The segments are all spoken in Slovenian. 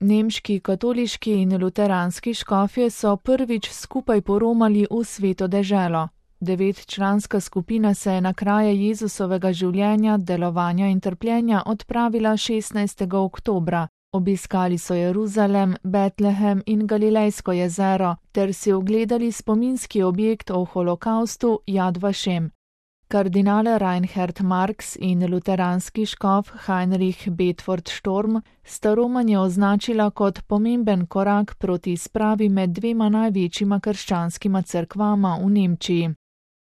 Nemški katoliški in luteranski škofje so prvič skupaj poromali v Sveto deželo. 9-članska skupina se je na kraje Jezusovega življenja, delovanja in trpljenja odpravila 16. oktobra. Obiskali so Jeruzalem, Betlehem in Galilejsko jezero ter si ogledali spominski objekt o holokaustu Jad Vašem. Kardinal Reinhard Marx in luteranski škof Heinrich Bedford Storm sta romanje označila kot pomemben korak proti spravi med dvema največjima krščanskima cerkvama v Nemčiji.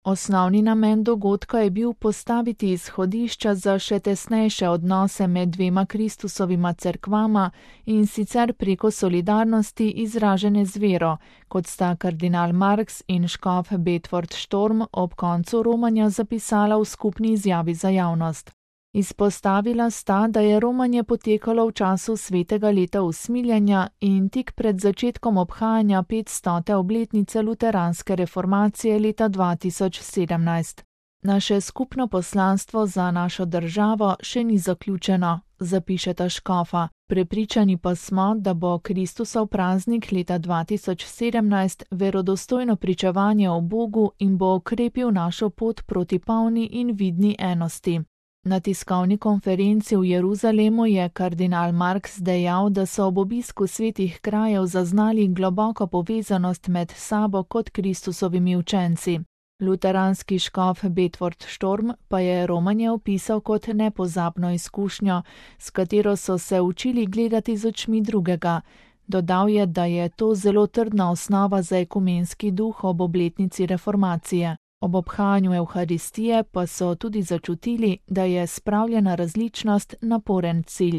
Osnovni namen dogodka je bil postaviti izhodišča za še tesnejše odnose med dvema Kristusovima cerkvama in sicer preko solidarnosti izražene z vero, kot sta kardinal Marx in škof Bedford Storm ob koncu romanja zapisala v skupni izjavi za javnost. Izpostavila sta, da je romanje potekalo v času svetega leta usmiljenja in tik pred začetkom obhajanja 500. obletnice luteranske reformacije leta 2017. Naše skupno poslanstvo za našo državo še ni zaključeno, zapišeta škofa. Prepričani pa smo, da bo Kristusov praznik leta 2017 verodostojno pričevanje o Bogu in bo okrepil našo pot proti polni in vidni enosti. Na tiskovni konferenci v Jeruzalemu je kardinal Marx dejal, da so ob obisku svetih krajev zaznali globoko povezanost med sabo kot Kristusovimi učenci. Luteranski škof Bedford Storm pa je romanje opisal kot nepozabno izkušnjo, s katero so se učili gledati z očmi drugega. Dodal je, da je to zelo trdna osnova za ekumenski duh ob obletnici reformacije. Ob obhajanju Evharistije pa so tudi začutili, da je spravljena različnost naporen cilj.